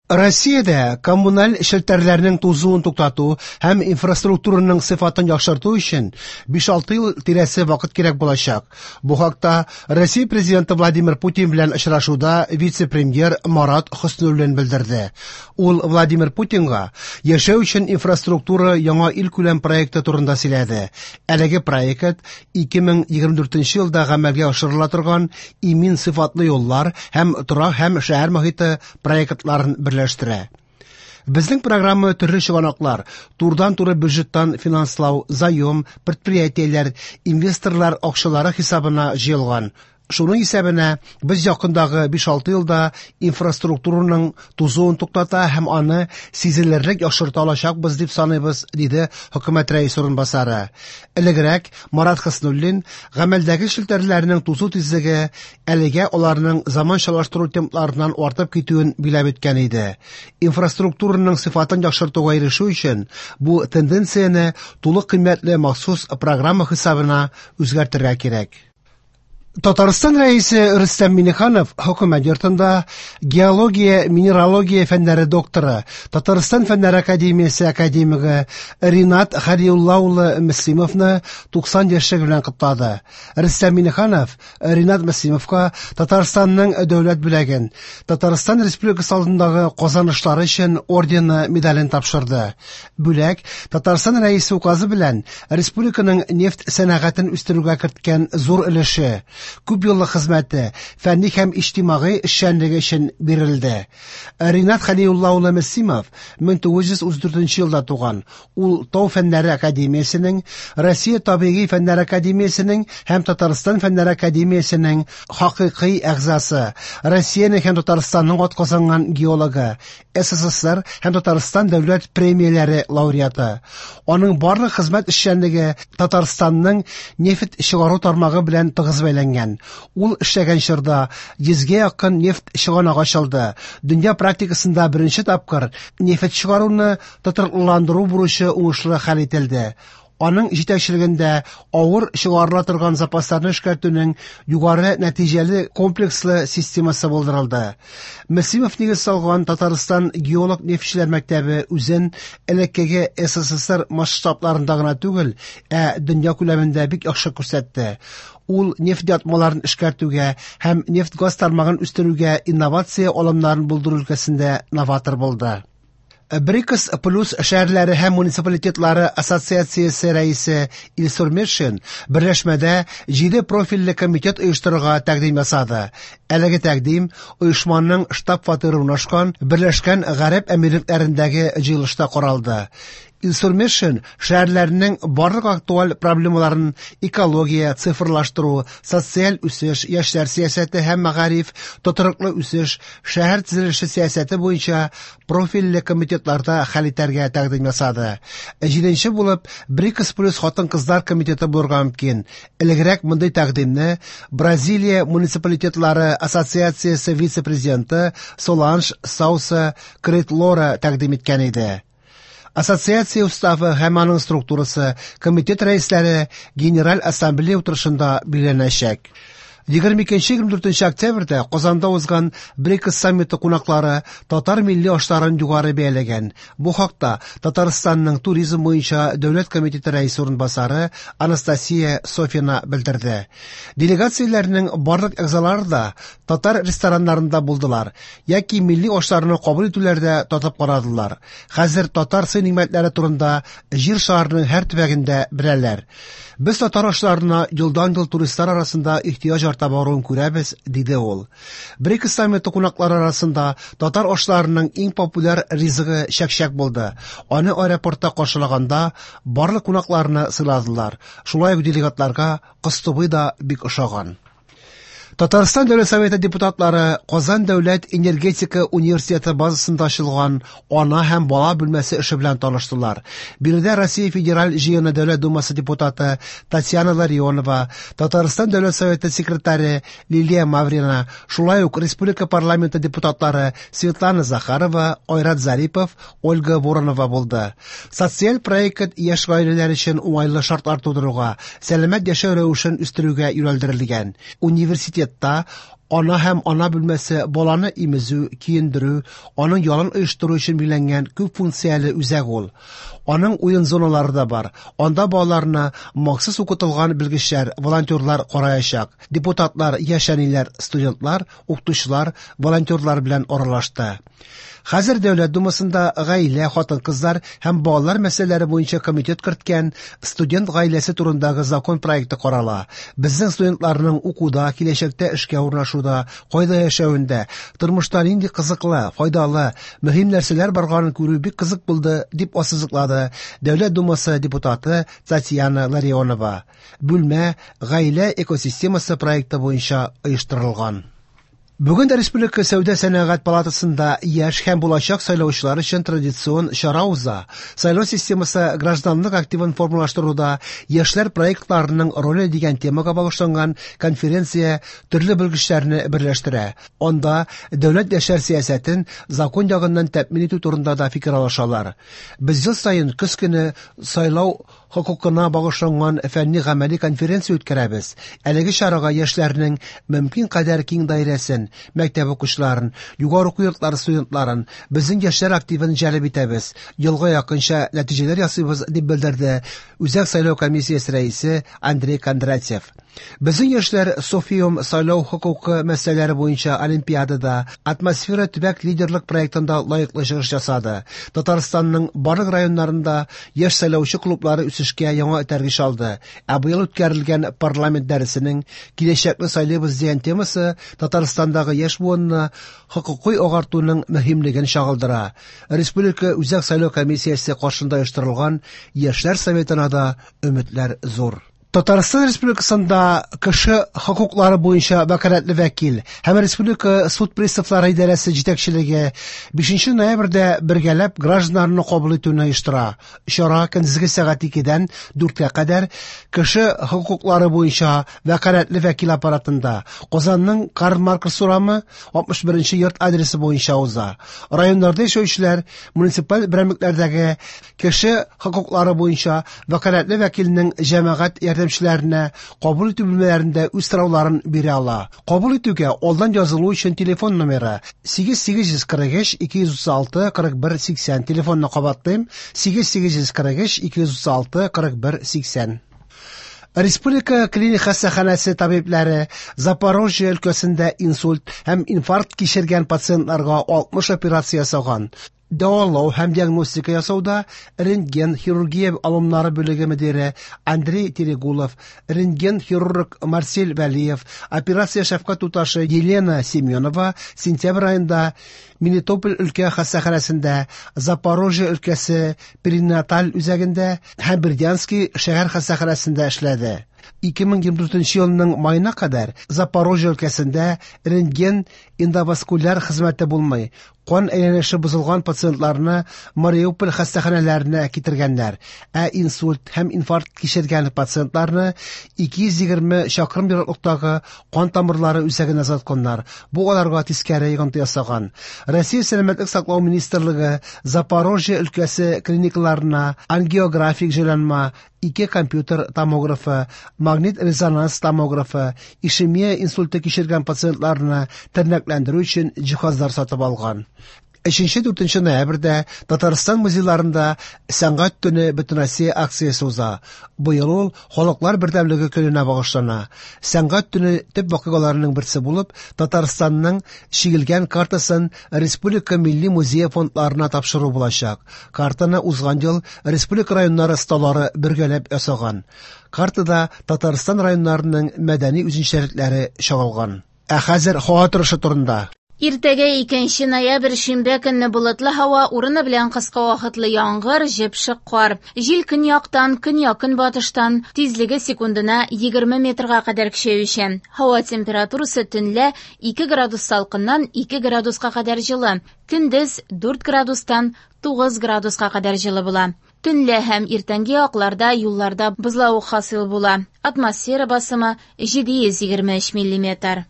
Россиядә коммуналь челтәрләрнең тузуын туктату һәм инфраструктураның сыйфатын яхшырту өчен 5-6 ел тирәсе вакыт кирәк булачак. Бу хакта Россия Президенты Владимир Путин белән очрашуда вице-премьер Марат Хөснуллин белдерде. Ул Владимир Путинга яшәү өчен инфраструктура яңа илкүләм проекты турында сөйләде. Әлеге проект 2024 елда гамәлгә ашырыла торган имин сыйфатлы юллар һәм торак һәм шәһәр мохите проектларын берләштерә. Безнең программа төрле чыганаклар, турыдан-туры бюджеттан финанслау, заем, предприятиеләр, инвесторлар акчалары хисабына җыелган. Шуның исәбенә без якындагы 5-6 елда инфраструктураның тузуын туктата һәм аны сизелерлек яхшырта алачакбыз дип саныйбыз, диде хөкүмәт рәисе урынбасары. Элегрәк Марат Хөснуллин гамәлдәге челтәрләрнең тузу тизлеге әлегә аларның заманчалаштыру темпларыннан артып китүен биләп үткән иде. Инфраструктураның сыйфатын яхшыртуга ирешү өчен бу тенденцияне тулы кыйммәтле махсус программа хисабына үзгәртергә кирәк. Татарстан Рәисе Рөстәм Миңнеханов хөкүмәт йортында геология, минералогия фәннәре докторы, Татарстан Фәннәр академиясе академигы Ринат Хәлиулла улы Мөслимовны 90 яшьлеге белән котлады. Рөстәм Миңнеханов Ринат Мөслимовка Татарстанның дәүләт бүләген, Татарстан Республикасы алдындагы казанышлары өчен ордены медален тапшырды. Бүләк Татарстан Рәисе указы белән республиканың нефть сәнәгатен үстерүгә керткән зур өлеше, күп еллык хезмәте, фәнни һәм иҗтимагый эшчәнлеге өчен бирелде. Ринат Хәлиулла улы Мөслимов 1934 елда туган. Ул Тау фәннәре академиясенең, Россия табигый фәннәр академиясенең һәм Татарстан фәннәр академиясенең хакыйкый әгъзасы, Россиянең һәм Татарстанның атказанган геологы, СССР һәм Татарстан дәүләт премияләре лауреаты. Аның барлык хезмәт эшчәнлеге Татарстанның нефть чыгару тармагы белән тыгыз бәйләнгән. Ул эшләгән чорда 100гә якын нефть чыганагы ачылды. Дөнья практикасында беренче тапкыр нефть чыгаруны тотрыклыландыру бурычы уңышлы хәл ителде. Аның җитәкчелегендә авыр чыгарыла торган запасларны эшкәртүнең югары нәтиҗәле комплекслы системасы булдырылды. Мөслимов нигез салган Татарстан геолог-нефтьчеләр мәктәбе үзен элеккеге СССР масштабларында гына түгел, ә дөнья күләмендә бик яхшы күрсәтте. Ул нефть ятмаларын эшкәртүгә һәм нефть-газ тармагын үстерүгә инновация алымнарын булдыру өлкәсендә новатор булды. БРИКС плюс шәһәрләре һәм муниципалитетлары ассоциациясе рәисе Илсур Метшин берләшмәдә 7 профильле комитет оештырырга тәкъдим ясады. Әлеге тәкъдим оешманың штаб-фатиры урнашкан Берләшкән Гарәп Әмирлекләрендәге җыелышта каралды. Илсур Метшин шәһәрләрнең барлык актуаль проблемаларын экология, цифрлаштыру, социаль үсеш, яшьләр сәясәте һәм мәгариф, тотрыклы үсеш, шәһәр төзелеше сәясәте буенча профильле комитетларда хәл итәргә тәкъдим ясады. Җиденче булып БРИКС плюс хатын-кызлар комитеты булырга мөмкин. Элегрәк мондый тәкъдимне Бразилия муниципалитетлары ассоциациясе вице-президенты Соланж Сауса Кретлора тәкъдим иткән иде. Ассоциация уставы һәм аның структурасы комитет рәисләре Генераль ассамблея утырышында билгеләнәчәк. 22-24 октябрьдә Казанда узган БРИКС саммиты кунаклары татар милли ашларын югары бәяләгән. Бу хакта Татарстанның туризм буенча дәүләт комитеты рәисе урынбасары Анастасия Софина белдерде. Делегацияләрнең барлык әгъзалары да татар рестораннарында булдылар яки милли ашларны кабул итүләрдә татып карадылар. Хәзер татар сый-нигъмәтләре турында җир шарының һәр төбәгендә беләләр. Без татар ашларына елдан-ел туристлар арасында ихтыяҗ арта баруын күрәбез, диде ул. БРИКС саммиты кунаклары арасында татар ашларының иң популяр ризыгы чәкчәк булды. Аны аэропортта каршылаганда барлык кунакларны сыйладылар. Шулай ук делегатларга кыстыбый да бик ошаган. Татарстан Дәүләт Советы депутатлары Казан дәүләт энергетика университеты базасында ачылган ана һәм бала бүлмәсе эше белән таныштылар. Биредә Россия Федераль җыены Дәүләт Думасы депутаты Татьяна Ларионова, Татарстан Дәүләт Советы секретаре Лилия Маврина, шулай ук Республика парламенты депутатлары Светлана Захарова, Айрат Зарипов, Ольга Воронова булды. Социаль проект яшь гаиләләр өчен уңайлы шартлар тудыруга, сәламәт яшәү рәвешен үстерүгә юнәлдерелгән. Университетта Ана һәм ана бүлмәсе баланы имезү, киендерү, аның ялын оештыру өчен билгеләнгән күп функцияле үзәк ул. Аның уен зоналары да бар. Анда балаларны махсус укытылган белгечләр, волонтерлар караячак. Депутатлар, яшь әниләр, студентлар, укытучылар, волонтерлар белән аралашты. Хәзер Дәүләт Думасында гаилә, хатын-кызлар һәм балалар мәсьәләләре буенча комитет керткән студент гаиләсе турындагы закон проекты карала. Безнең студентларның укуда, киләчәктә эшкә урнашуда, кайда яшәвендә, тормышта нинди кызыклы, файдалы, мөһим нәрсәләр барганын күрү бик кызык булды, дип ассызыклады Дәүләт Думасы депутаты Татьяна Ларионова. Бүлмә гаилә экосистемасы проекты буенча оештырылган. Бүген Республика Сәүдә-сәнәгать палатасында яшь һәм булачак сайлаучылар өчен традицион чара уза. Сайлау системасы гражданлык активын формалаштыруда яшьләр проектларының роле дигән темага багышланган конференция төрле белгечләрне берләштерә. Анда дәүләт яшьләр сәясәтен закон ягыннан тәэмин итү турында да фикер алышалар. Без ел саен көз көне сайлау хокукына багышланган фәнни-гамәли конференция үткәрәбез. Әлеге чарага яшьләрнең мөмкин кадәр киң даирәсен, мәктәп укучыларын, югары уку йортлары студентларын, безнең яшьләр активын җәлеп итәбез. Елга якынча нәтиҗәләр ясыйбыз, дип белдерде Үзәк сайлау комиссиясе рәисе Андрей Кондратьев. Безнең яшьләр Софиум сайлау хокукы мәсьәләләре буенча олимпиадада Атмосфера төбәк лидерлык проектында лаеклы чыгыш ясады. Татарстанның барлык районнарында яшь сайлаучы клублары үсешкә яңа этәргеч алды. Ә быел үткәрелгән парламент дәресенең Киләчәкне сайлыйбыз дигән темасы Татарстандагы яшь буынны хокукый агартуның мөһимлеген чагылдыра. Республика Үзәк сайлау комиссиясе каршында оештырылган Яшьләр советына да өметләр зур. Татарстан Республикасында кеше хокуклары буенча вәкаләтле вәкил һәм Республика суд приставлары идарәсе җитәкчелеге 5 ноябрьдә бергәләп гражданнарны кабул итүне оештыра. Чара көндезге сәгать 2-дән 4-кә кадәр кеше хокуклары буенча вәкаләтле вәкил аппаратында Казанның Карл Маркс урамы 61 йорт адресы буенча уза. Районнарда яшәүчеләр муниципаль берәмлекләрдәге кеше хокуклары буенча вәкаләтле вәкилнең җәмәгать ярдәмчеләренә кабул итү бүлмәләрендә үз сорауларын бирә ала. Кабул итүгә алдан язылу өчен телефон номеры 8843 236 41 80. Телефонны кабатлыйм: 8843 236 41 80. Республика клиник хастаханәсе табибләре Запорожье өлкәсендә инсульт һәм инфаркт кичергән пациентларга 60 операция ясаган. Дәвалау һәм диагностика ясауда рентген хирургия алымнары бүлеге мөдире Андрей Терегулов, рентген хирург Марсель Вәлиев, операция шәфкать туташы Елена Семенова сентябрь аенда Мелитополь өлкә хастаханәсендә, Запорожье өлкәсе перинаталь үзәгендә һәм Бердянский шәһәр хастаханәсендә эшләде. 2024 елның маена кадәр Запорожье өлкәсендә рентген эндоваскуляр хезмәте булмый. Кан әйләнеше бозылган пациентларны Мариуполь хастаханәләренә китергәннәр, ә инсульт һәм инфаркт кичергән пациентларны 220 чакрым ераклыктагы кан тамырлары үзәгенә озатканнар. Бу аларга тискәре йогынты ясаган. Россия Сәламәтлек саклау министрлыгы Запорожье өлкәсе клиникаларына ангиографик җайланма, ике компьютер томографы, магнит-резонанс томографы, ишемия инсульты кичергән пациентларны тернәкләндерү өчен җиһазлар сатып алган. 3-4 ноябрьдә Татарстан музейларында Сәнгать төне Бөтенроссия акциясе уза. Быел ул Халыклар бердәмлеге көненә багышлана. Сәнгать төне төп вакыйгаларының берсе булып, Татарстанның чигелгән картасын Республика Милли музее фондларына тапшыру булачак. Картаны узган ел республика районнары осталары бергәләп ясаган. Картада Татарстан районнарының мәдәни үзенчәлекләре чагылган. Ә хәзер һава торышы турында. Иртәгә 2 ноябрь шимбә көнне болытлы һава, урыны белән кыска вакытлы яңгыр, җепшек кар. Җил көньяктан, көньяк-көнбатыштан, тизлеге секундына 20 метрга кадәр көчәючән. Һава температурасы төнлә 2 градус салкыннан 2 градуска кадәр җылы, көндез 4 градустан 9 градуска кадәр җылы була. Төнлә һәм иртәнге якларда юлларда бозлавык хасил була. Атмосфера басымы 723 миллиметр.